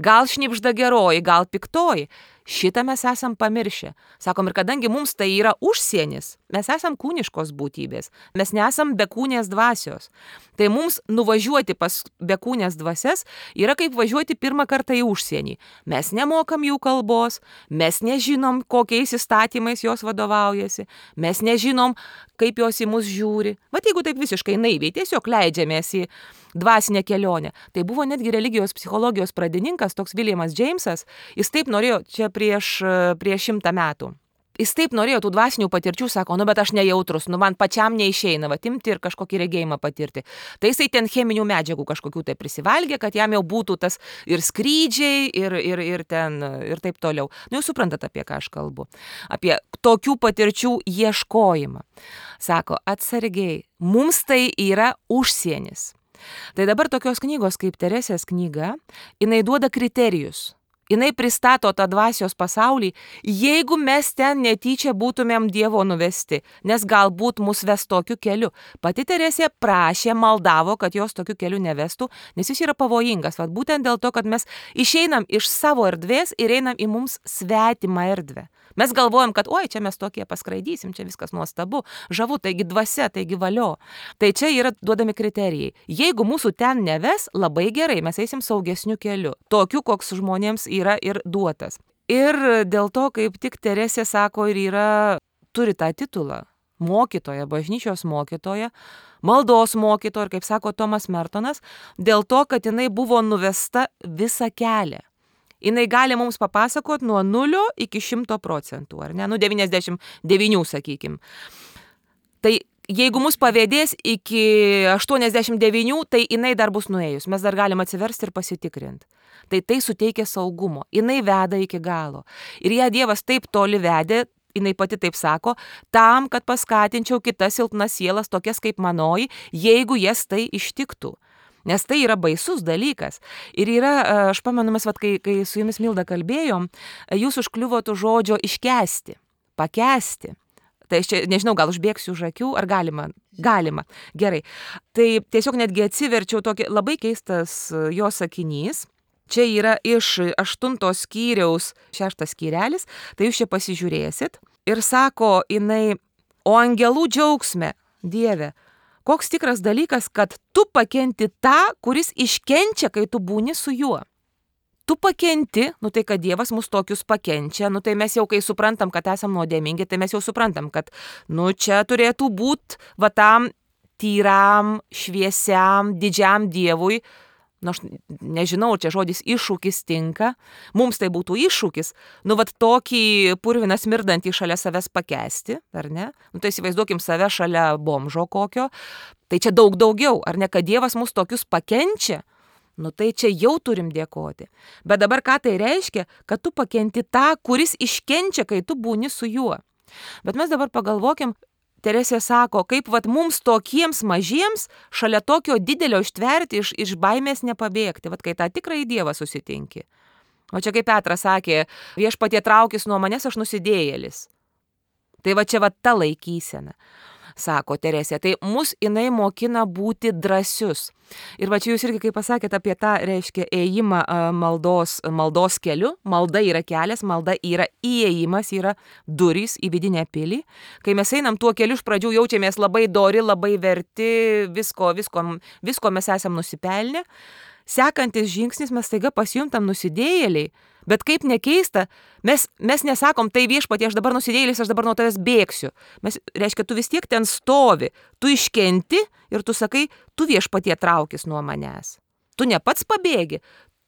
Gal šnibžda geroji, gal piktoji. Šitą mes esam pamiršę. Sakom, ir kadangi mums tai yra užsienis, mes esam kūniškos būtybės, mes nesam bekūnės dvasios. Tai mums nuvažiuoti pas bekūnės dvasias yra kaip važiuoti pirmą kartą į užsienį. Mes nemokam jų kalbos, mes nežinom, kokiais įstatymais jos vadovaujasi, mes nežinom, kaip jos į mus žiūri. Jeigu taip visiškai naiviai, tiesiog leidžiamės į dvasinę kelionę. Tai buvo netgi religijos psichologijos pradininkas, toks Williamas Jamesas, jis taip norėjo čia prieš 100 metų. Jis taip norėjo tų dvasinių patirčių, sako, bet aš nejautrus, man pačiam neišeina, imti ir kažkokį regėjimą patirti. Tai jisai ten cheminių medžiagų kažkokių tai prisivalgė, kad jam jau būtų tas ir skrydžiai, ir taip toliau. Jūs suprantat, apie ką aš kalbu. Apie tokių patirčių ieškojimą. Sako, atsargiai, mums tai yra užsienis. Tai dabar tokios knygos kaip Teresės knyga, jinai duoda kriterijus. Jinai pristato tą dvasios pasaulį, jeigu mes ten netyčia būtumėm Dievo nuvesti, nes galbūt mus ves tokiu keliu. Pati Teresė prašė, maldavo, kad jos tokiu keliu nevestų, nes jis yra pavojingas. Vat būtent dėl to, kad mes išeinam iš savo erdvės ir einam į mums svetimą erdvę. Mes galvojam, kad oi, čia mes tokie paskraidysim, čia viskas nuostabu, žavu, taigi dvasia, taigi valio. Tai čia yra duodami kriterijai. Jeigu mūsų ten neves, labai gerai, mes eisim saugesniu keliu. Tokiu, koks žmonėms yra ir duotas. Ir dėl to, kaip tik Teresė sako, turi tą titulą. Mokytoja, bažnyčios mokytoja, maldos mokytoja, ir kaip sako Tomas Mertonas, dėl to, kad jinai buvo nuvesta visą kelią. Jinai gali mums papasakoti nuo 0 iki 100%, ar ne? 99, sakykim. Tai jeigu mus pavėdės iki 89, tai jinai dar bus nuėjus. Mes dar galim atsiversti ir pasitikrinti. Tai suteikia saugumo. Jinai veda iki galo. Ir ją Dievas taip toli vedė, jinai pati taip sako, tam, kad paskatinčiau kitas silpnas sielas, tokias kaip manoji, jeigu jas tai ištiktų. Nes tai yra baisus dalykas. Ir aš pamenu, mes, kai su jumis Milda kalbėjom, jūs užkliuvot už žodžio iškęsti, pakęsti. Tai aš čia, nežinau, gal užbėgsiu už akių, ar galima? Galima. Gerai. Tai tiesiog netgi atsiverčiau tokį labai keistas jo sakinys. Čia yra iš 8 skyriaus 6 skyrelis, tai jūs čia pasižiūrėsit. Ir sako jinai, o angelų džiaugsme, Dieve, koks tikras dalykas, kad tu pakenti tą, kuris iškenčia, kai tu būni su juo. Tu pakenti, tai kad Dievas mus tokius pakenčia, tai mes jau kai suprantam, kad esam nuodėmingi, tai mes jau suprantam, kad čia turėtų būti tam tyram, šviesiam, didžiam Dievui. Aš nežinau, čia žodis iššūkis tinka. Mums tai būtų iššūkis. Tokį purviną smirdantį šalia savęs pakęsti, ar ne? Tai įsivaizduokim save šalia bomžo kokio. Tai čia daug daugiau, ar ne, kad Dievas mus tokius pakenčia? Tai čia jau turim dėkoti. Bet dabar ką tai reiškia? Kad tu pakenti tą, kuris iškenčia, kai tu būni su juo. Bet mes dabar pagalvokim, Teresė sako, kaip mums tokiems mažiems šalia tokio didelio ištverti, iš baimės nepabėgti, kai tą tikrąjį Dievą susitinki. O čia kaip Petras sakė, viešpatie traukis nuo manęs, aš nusidėjėlis. Tai čia ta laikysena, sako Teresė. Tai mus jinai mokina būti drąsius. Ir čia jūs irgi, kaip pasakėte apie tą, reiškia, ėjimą maldos keliu. Malda yra kelias, malda yra įėjimas, yra durys į vidinę pilį. Kai mes einam tuo keliu, iš pradžių jaučiamės labai dori, labai verti, visko mes esam nusipelnę. Sekantis žingsnis, mes staiga pasijuntam nusidėjėliai. Bet kaip nekeista, mes nesakom, tai viešpatie, aš dabar nusidėjėlis, aš dabar nuo tavęs bėgsiu. Reiškia, tu vis tiek ten stovi, tu iškenti ir tu sakai, tu viešpatie traukis nuo manęs. Tu ne pats pabėgi,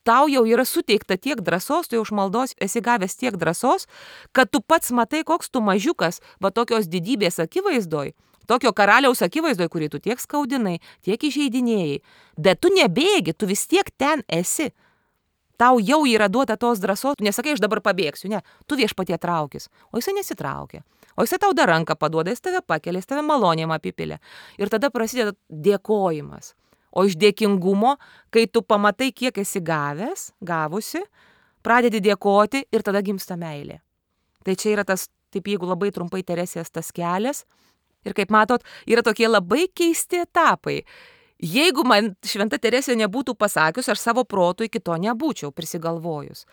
tau jau yra suteikta tiek drąsos, tu jau iš maldos esi gavęs tiek drąsos, kad tu pats matai, koks tu mažiukas, tokios didybės akivaizdoj, tokio karaliaus akivaizdoj, kurį tu tiek skaudinai, tiek įžeidinėjai. Bet tu nebėgi, tu vis tiek ten esi. Tau jau yra duota tos drąsos, tu nesakai, aš dabar pabėgsiu, ne, tu viešpatie traukis, o jisai nesitraukia, o jisai tau dar ranką paduoda, jis tave pakelia, jis tave malonėm apipilė. Ir tada prasideda dėkojimas. O iš dėkingumo, kai tu pamatai, kiek esi gavusi, pradedi dėkoti ir tada gimsta meilė. Tai čia yra tas, taip jeigu labai trumpai Teresės tas kelias, ir kaip matot, yra tokie labai keisti etapai. Jeigu man šventa Teresė nebūtų pasakius, aš savo protų iki to nebūčiau prisigalvojus.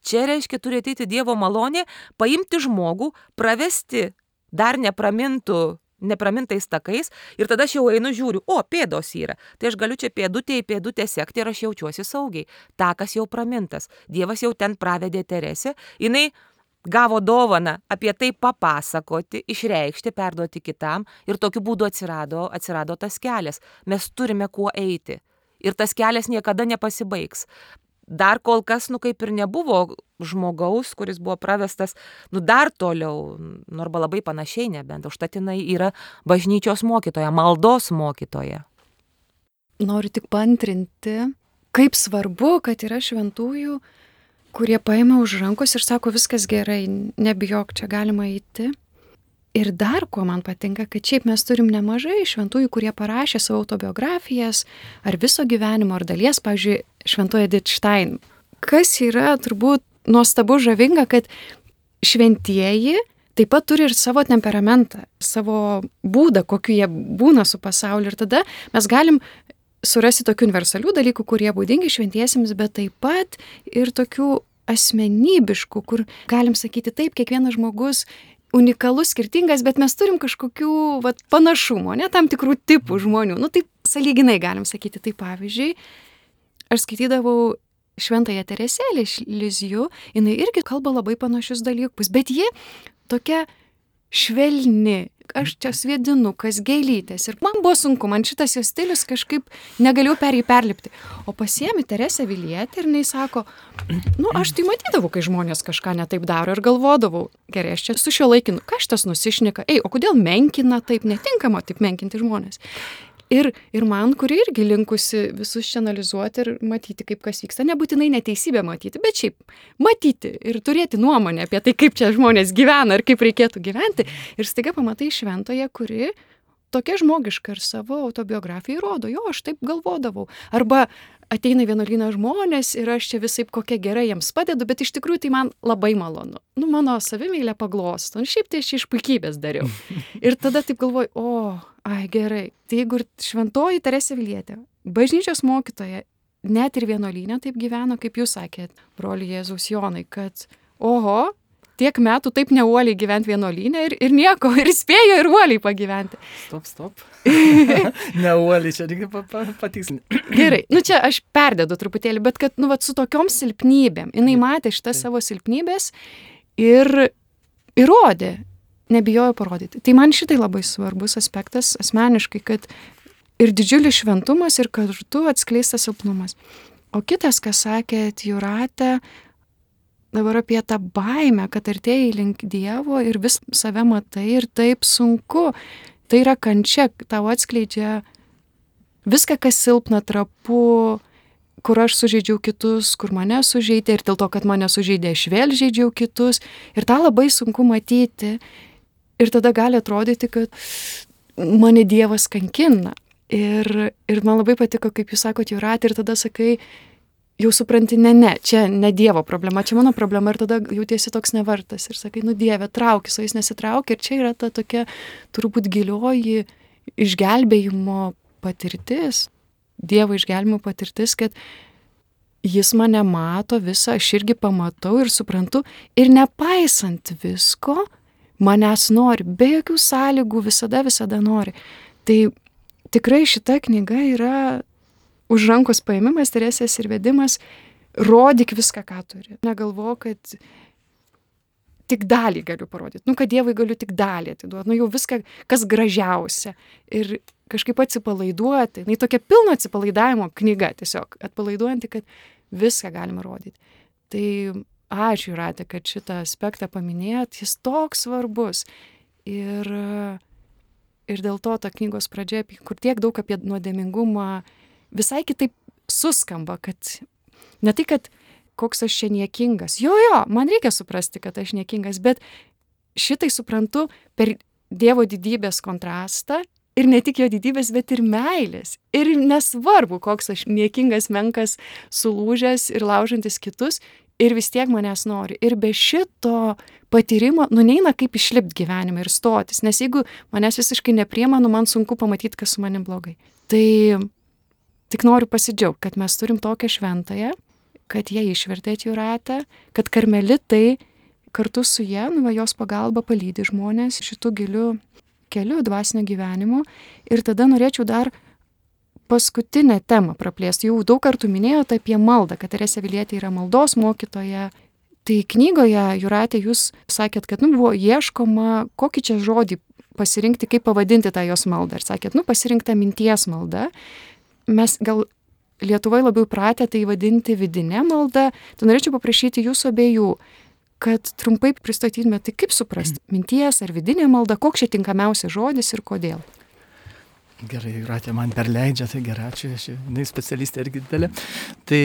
Čia reiškia turi ateiti Dievo malonė, paimti žmogų, pravesti dar nepramintais takais ir tada aš jau einu žiūriu, pėdos yra. Tai aš galiu čia pėdutę į pėdutę sekti ir aš jaučiuosi saugiai. Takas jau pramintas. Dievas jau ten pravedė Teresę. Jinai gavo dovaną apie tai papasakoti, išreikšti, perduoti kitam ir tokiu būdu atsirado tas kelias. Mes turime kuo eiti ir tas kelias niekada nepasibaigs. dar kol kas, kaip ir nebuvo žmogaus, kuris buvo pravestas, dar toliau, arba labai panašiai nebent, užtat jinai yra bažnyčios mokytoja, maldos mokytoja. Noriu tik paantrinti, kaip svarbu, kad yra šventųjų, kurie paima už rankos ir sako, viskas gerai, nebijok, čia galima eiti. Ir dar, ko man patinka, kad šiaip mes turim nemažai šventųjų, kurie parašė savo autobiografijas, ar viso gyvenimo, ar dalies, pavyzdžiui, šventoji Edith Stein. Kas yra turbūt nuostabu žavinga, kad šventieji taip pat turi ir savo temperamentą, savo būdą, kokiu jie būna su pasauliu. Ir tada mes galim surasti tokių universalių dalykų, kurie būdingi šventiesiems, bet taip pat ir tokių asmenybiškų, kur galim sakyti taip, kiekvienas žmogus unikalus, skirtingas, bet mes turim kažkokių panašumų, tam tikrų tipų žmonių. Taip sąlyginai galim sakyti. Tai pavyzdžiui, aš skaitydavau Šventąją Teresėlę iš Lizjų, jinai irgi kalba labai panašius dalykus, bet ji tokia švelni, aš čia sviedinukas, gėlytės. Ir man buvo sunku, man šitas jos stilius kažkaip negalėjau per jį perlipti. O pasiemi Teresę Avilietę ir jinai sako, aš tai matydavau, kai žmonės kažką netaip daro ir galvodavau, gerai, aš čia su šio laikinu, ką šitas nusišneka, o kodėl menkina taip, netinkama taip menkinti žmonės. Ir man, kuri irgi linkusi visus čia analizuoti ir matyti, kaip kas vyksta, nebūtinai neteisybę matyti, bet šiaip matyti ir turėti nuomonę apie tai, kaip čia žmonės gyvena ir kaip reikėtų gyventi. Ir staiga pamatai šventoje, kuri tokia žmogiška ir savo autobiografijai rodo, aš taip galvodavau. Arba ateina vienuolyną žmonės ir aš čia visaip kokia gerai jiems padedu, bet iš tikrųjų tai man labai malonu. Mano savimeilė paglosto. Šiaip tai aš iš puikybės dariau. Ir tada taip galvoju, gerai. Tai jeigu ir šventoji Teresė Avilietė, bažnyčios mokytoja, net ir vienuolyne taip gyveno, kaip jūs sakėt, broli Jėzaus Jonai, kad tiek metų taip neuoliai gyventi vienuolyne ir nieko, ir spėjo ir uoliai pagyventi. Stop. Neuoliai, čia reikia patikslinti. Gerai, čia aš perdedu truputėlį, bet kad, su tokiom silpnybėm, jinai matė šitas savo silpnybės ir įrodė, nebijojo parodyti. Tai man šitai labai svarbus aspektas asmeniškai, kad ir didžiulis šventumas, ir kartu atskleistas silpnumas. O kitas, kas sakėt, Jūrate, dabar apie tą baimę, kad artėjai link Dievo ir vis save matai ir taip sunku. Tai yra kančia, tau atskleidžia viską, kas silpna, trapu, kur aš sužeidžiau kitus, kur mane sužeidė ir dėl to, kad mane sužeidė, aš vėl žeidžiau kitus. Ir tą labai sunku matyti. Ir tada gali atrodyti, kad mane Dievas kankina. Ir man labai patiko, kaip jūs sakot, Jūrate, ir tada sakai, jau supranti, ne, čia ne Dievo problema, čia mano problema ir tada jautiesi toks nevertas ir sakai, Dieve, traukis, o jis nesitraukia ir čia yra ta tokia turbūt gilioji išgelbėjimo patirtis, Dievo išgelbėjimo patirtis, kad jis mane mato visą, aš irgi pamatau ir suprantu ir nepaisant visko, manęs nori, be jokių sąlygų, visada nori. Tai tikrai šita knyga yra už rankos paėmimas, Teresės ir vedimas, rodyk viską, ką turi. Negalvo, kad tik dalį galiu parodyti. Kad Dievui galiu tik dalį atiduoti. Jau viską, kas gražiausia. Ir kažkaip atsipalaiduoti. Tokia pilno atsipalaidavimo knyga tiesiog. Atpalaiduojanti, kad viską galima rodyti. Tai ačiū, Jūrate, kad šitą aspektą paminėjot. Jis toks svarbus. Ir dėl to ta knygos pradžia, kur tiek daug apie nuodėmingumą, visai kitaip suskamba, kad ne tai, kad koks aš čia niekingas. Jo, man reikia suprasti, kad aš niekingas, bet šitai suprantu per Dievo didybės kontrastą ir ne tik jo didybės, bet ir meilės. Ir nesvarbu, koks aš niekingas, menkas, sulūžęs ir laužantis kitus, ir vis tiek manęs nori. Ir be šito patyrimo, neina kaip išlipti gyvenime ir stotis, nes jeigu manęs visiškai nepriima, man sunku pamatyti, kas su manim blogai. Tai tik noriu pasidžiaugti, kad mes turim tokią šventąją, kad jie išvertė Jūratę, kad karmelitai kartu su jie, jos pagalba palydi žmonės šitų gilių kelių dvasinio gyvenimo. Ir tada norėčiau dar paskutinę temą praplėsti. Jau daug kartų minėjote apie maldą, kad Teresė Avilietė yra maldos mokytoja. Tai knygoje, Jūrate, jūs sakėt, kad buvo ieškoma, kokį čia žodį pasirinkti, kaip pavadinti tą jos maldą. Ir sakėt, pasirinkta minties malda. Mes gal Lietuvoje labiau pratę tai vadinti vidinė malda. Tai norėčiau paprašyti jūsų abiejų, kad trumpai pristatytumėte, tai kaip suprasti, minties ar vidinė malda, koks čia tinkamiausias žodis ir kodėl. Gerai, Jūratė man perleidžia, tai gerai, ačiū, specialistė irgi didelė. Tai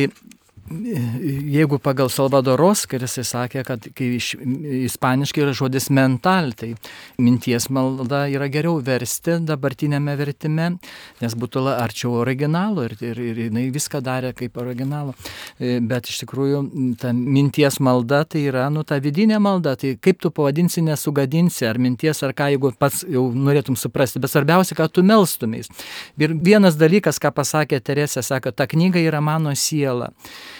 jeigu pagal Salvadoros, kai jisai sakė, kad kai ispaniškai yra žodis mental, tai minties malda yra geriau versti dabartinėme vertime, nes būtų arčiau originalo ir jinai viską darė kaip originalo. Bet iš tikrųjų ta minties malda tai yra, ta vidinė malda, tai kaip tu pavadinsi, nesugadinsi, ar minties, ar ką, jeigu pats jau norėtum suprasti, bet svarbiausia, kad tu melstumės. Ir vienas dalykas, ką pasakė Teresė, sako, ta knyga yra mano siela.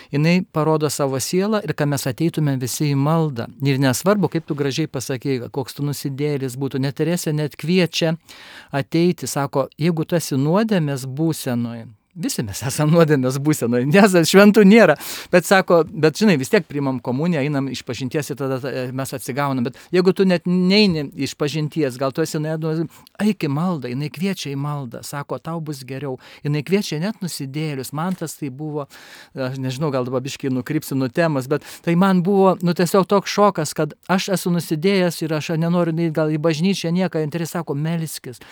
Jinai parodo savo sielą ir kad mes ateitume visi į maldą. Ir nesvarbu, kaip tu gražiai pasakėjai, koks tu nusidėlis būtų, net Teresė net kviečia ateiti, sako, jeigu tu esi nuodėmės būsenoje, visi mes esame nuodėmės būsenoje, nes šventų nėra, bet sako, bet žinai, vis tiek priimam komuniją, einam iš pažinties ir tada mes atsigaunam, bet jeigu tu net neini iš pažinties, gal tu esi nuodėmės, eik į maldą, jinai kviečia į maldą, sako, tau bus geriau, jinai kviečia net nusidėlius, man tas tai buvo, aš nežinau, gal dabar biškai nukrypsiu nuo temos, bet tai man buvo, tiesiog toks šokas, kad aš esu nusidėjęs ir aš nenoriu neiti gal į bažnyčią nieką, ir sako, melskis,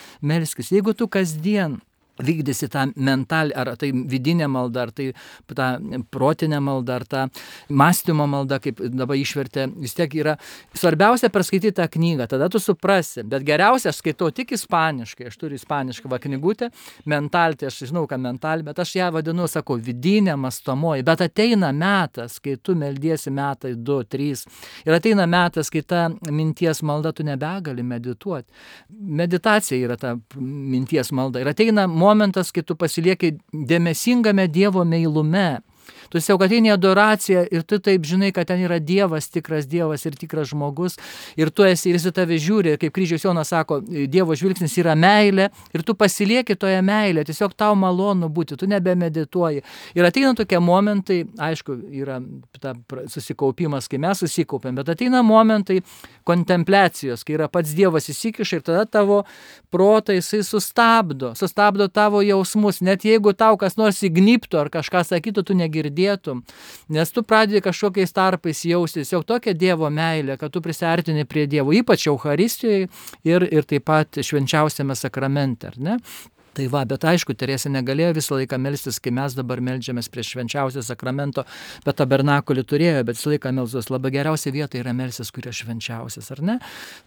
jeigu tu kasdien vykdysi tą mental, ar tai vidinė malda, ar tai ta protinė malda, ar ta mąstymo malda, kaip dabar išvertė, vis tiek yra svarbiausia perskaityti tą knygą, tada tu suprasi, bet geriausia aš skaitau tik ispaniškai, aš turiu ispanišką knygutę, mental, tai aš žinau, ką mental, bet aš ją vadinu, sakau, vidinė mąstomoji, bet ateina metas, kai tu meldiesi metai 2, 3 ir ateina metas, kai ta minties malda tu nebegali medituoti. Meditacija yra ta minties malda ir ateina momentas, kai tu pasilieki dėmesingame Dievo meilume. Tu tiesiog ateini adoraciją ir tu taip žinai, kad ten yra Dievas, tikras Dievas ir tikras žmogus ir tu esi ir jis į tave žiūri, kaip kryžiaus Jonas sako, Dievo žvilgsnis yra meilė ir tu pasilieki toje meilė, tiesiog tau malonu būti, tu nebemedituoji. Ir ateina tokie momentai, aišku, yra ta susikaupimas, kai mes susikaupiam, bet ateina momentai kontempliacijos, kai yra pats Dievas įsikiša ir tada tavo protą jisai sustabdo tavo jausmus, net jeigu tau kas nors įgnybtų ar kažką sakytų, tu negirdėtum, nes tu pradedi kažkokiais tarpais jaustis jau tokia Dievo meilė, kad tu prisiartini prie Dievo, ypač Eucharistijoje ir taip pat švenčiausiame sakramente, ar ne? Tai va, bet aišku, Teresė negalėjo visą laiką melstis, kai mes dabar meldžiamės prie švenčiausio sakramento, bet tabernakulį turėjo, bet visą laiką melstis labai geriausia vieta yra melstis, kurio švenčiausias, ar ne?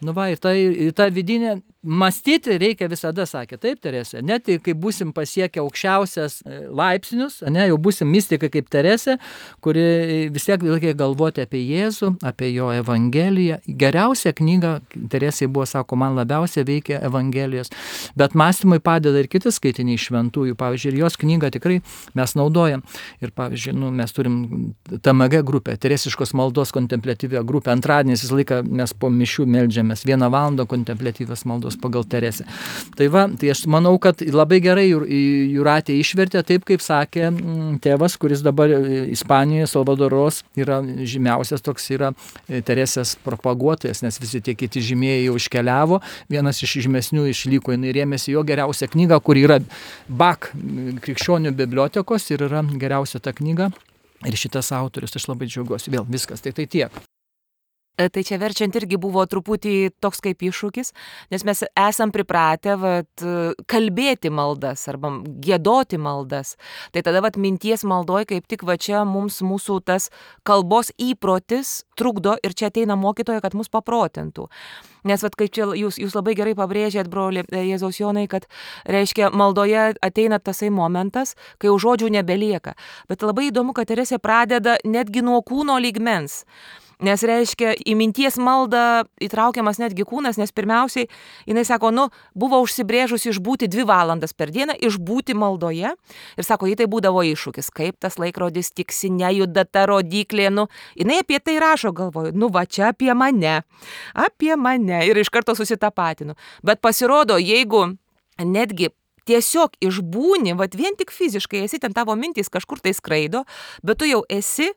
Nu va, ir ta vidinė, mąstyti reikia visada, sakė, taip, Teresė, net kai būsim pasiekę aukščiausias laipsnius, ne, jau būsim mistikai kaip Teresė, kuri vis tiek reikia galvoti apie Jėzų, apie jo Evangeliją. Geriausia knyga, Teresė buvo, sako, man labiausiai veikia Evangelijos, bet mąstymui padeda ir kiti skaitiniai šventųjų, pavyzdžiui, ir jos knygą tikrai mes naudojam. Ir pavyzdžiui, mes turim TMG grupę, Teresiškos maldos kontempliatyvę grupę, antradieniais visą laiką mes po mišių meldžiamės 1 valandą kontempliatyvios maldos pagal Teresę. Tai va, tai aš manau, kad labai gerai Jūratė išvertė taip, kaip sakė tėvas, kuris dabar Ispanijoje, Salvadoros, yra žymiausias toks yra Teresės propaguotojas, nes visi tie kiti žymėjai jau iškeliavo, vienas iš žymesnių išliko, jinai rėmėsi jo geriausią knygą, kur yra Bak krikščionių bibliotekos ir yra geriausia ta knyga ir šitas autorius, aš labai džiaugiuosi, vėl viskas, tai tiek. Tai čia verčiant irgi buvo truputį toks kaip iššūkis, nes mes esam pripratę kalbėti maldas arba giedoti maldas. Tai tada minties maldoj kaip tik čia mūsų tas kalbos įprotis trukdo ir čia ateina mokytoja, kad mus paprotintų. Nes kaip čia jūs labai gerai pabrėžėt, broli Jėzaus Jonai, kad reiškia maldoje ateina tasai momentas, kai jau žodžių nebelieka. Bet labai įdomu, kad Teresė pradeda netgi nuo kūno lygmens. Nes reiškia, į minties maldą įtraukiamas netgi kūnas, nes pirmiausiai, jinai sako, buvo užsibrėžusi išbūti 2 valandas per dieną, išbūti maldoje. Ir sako, jai tai būdavo iššūkis, kaip tas laikrodis tiksi, nejuda ta rodiklė, jinai apie tai rašo, galvoju, va čia apie mane. Ir iš karto susitapatinu. Bet pasirodo, jeigu netgi tiesiog išbūni, vien tik fiziškai esi, ten tavo mintys kažkur tai skraido, bet tu jau esi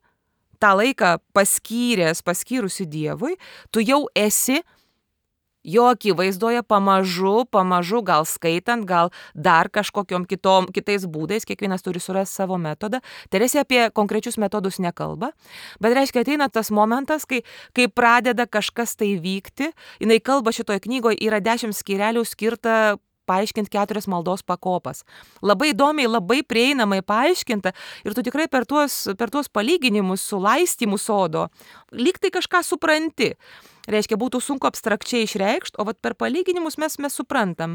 tą laiką paskyrusi Dievui, tu jau esi Jo akivaizdoje pamažu, gal skaitant, gal dar kažkokiom kitais būdais, kiekvienas turi surasti savo metodą. Teresė apie konkrečius metodus nekalba, bet reiškia ateina tas momentas, kai pradeda kažkas tai vykti. Jinai kalba šitoje knygoje, yra 10 skyrelių skirta paaiškinti 4 maldos pakopas. Labai įdomiai, labai prieinamai paaiškinta ir tu tikrai per tuos palyginimus su laistymu sodo lyg tai kažką supranti. Reiškia, būtų sunku abstrakčiai išreikšti, o vat per palyginimus mes suprantam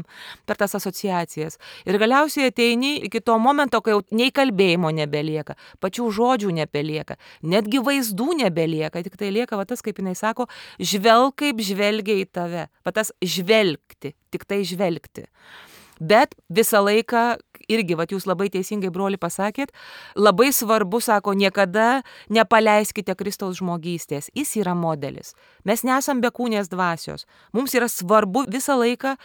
per tas asociacijas. Ir galiausiai ateini iki to momento, kai jau nei kalbėjimo nebelieka, pačių žodžių nebelieka, netgi vaizdų nebelieka, tik tai lieka, va tas, kaip jinai sako, žvelk kaip žvelgia į tave. Va tas žvelgti, tik tai žvelgti. Bet visą laiką, irgi, vat jūs labai teisingai, broli, pasakėt, labai svarbu, sako, niekada nepaleiskite Kristaus žmogystės. Jis yra modelis. Mes nesam bekūnės dvasios. Mums yra svarbu visą laiką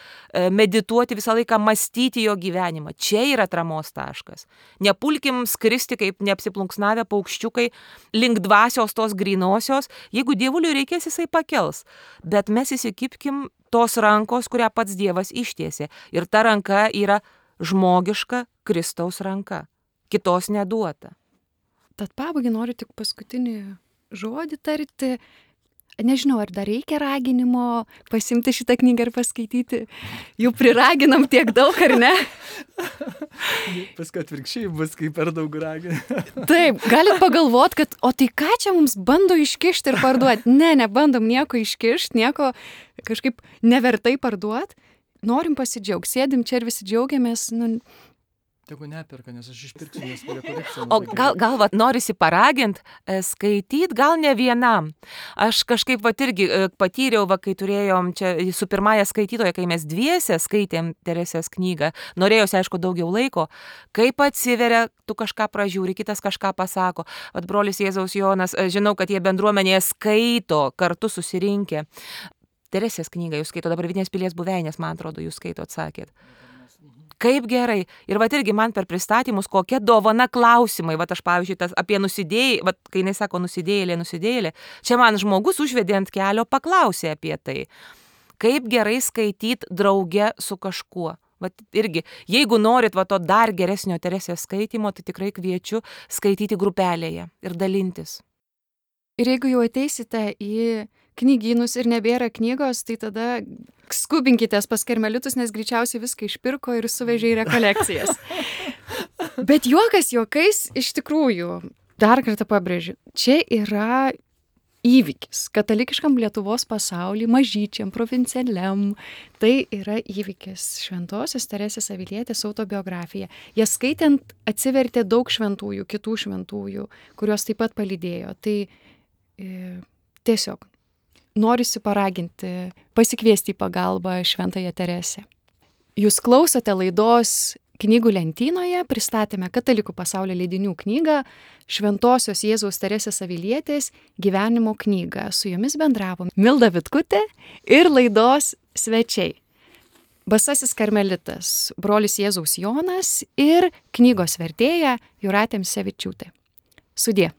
medituoti, visą laiką mąstyti jo gyvenimą. Čia yra atramos taškas. Nepulkim skristi kaip neapsiplunksnavę paukščiukai link dvasios tos grynosios. Jeigu dievuliui reikės, jisai pakels. Bet mes įsikibkim tos rankos, kurią pats Dievas ištiesė. Ir ta ranka yra žmogiška Kristaus ranka. Kitos neduota. Tad pabaigai noriu tik paskutinį žodį tarti. Nežinau, ar dar reikia raginimo pasimti šitą knygą ir paskaityti. Jau priraginam tiek daug, ar ne? Paskui atvirkščiai bus, kai per daug ragina. Taip, galit pagalvot, kad o tai ką čia mums bando iškišti ir parduoti? Ne, nebandom nieko iškišti, nieko kažkaip nevertai parduoti. Norim pasidžiaugti, sėdim čia ir visi džiaugiamės. Tegu neperka, nes aš išpirksiu, nes prie korekcijų. O gal norisi paragint, skaityt, gal ne vienam. Aš kažkaip irgi patyriau, kai turėjom čia su pirmąja skaitytoja, kai mes dviese skaitėm Teresės knygą, norėjosi, aišku, daugiau laiko, kaip atsiveria, tu kažką pražiūri, kitas kažką pasako. Vat brolis Jėzaus Jonas, žinau, kad jie bendruomenėje skaito, kartu susirinkę. Teresės knygą jūs skaito, dabar Vidinės pilies buveinės, man atrodo, jūs skaito, atsakėt. Kaip gerai. Ir vat irgi man per pristatymus, kokia dovana klausimai. Vat aš, pavyzdžiui, apie nusidėjėlį, vat kai jinai sako nusidėjėlė, čia man žmogus užvedė ant kelio, paklausė apie tai. Kaip gerai skaityti drauge su kažkuo. Vat irgi, jeigu norit to dar geresnio Teresės skaitymo, tai tikrai kviečiu skaityti grupelėje ir dalintis. Ir jeigu jau ateisite į knygynus ir nebėra knygos, tai tada skubinkitės pas karmelitus, nes greičiausiai viską išpirko ir suvežė į rekolekcijas. Bet juokas juokais, iš tikrųjų, dar kartą pabrėžiu, čia yra įvykis katalikiškam Lietuvos pasauly, mažyčiam, provincialiam. Tai yra įvykis Šventosios Teresės Avilietės autobiografija. Ją skaitant atsivertė daug šventųjų, kitų šventųjų, kurios taip pat palydėjo. Tai tiesiog norisi paraginti, pasikviesti į pagalbą Šventąją Teresę. Jūs klausote laidos Knygų lentynoje, pristatėme Katalikų pasaulio leidinių knygą Šventosios Jėzaus Teresės Avilietės gyvenimo knygą. Su jomis bendravom Milda Vitkutė ir laidos svečiai. Basasis karmelitas, brolis Jėzaus Jonas ir knygos vertėja Jūratė Misevičiūtė. Sudie.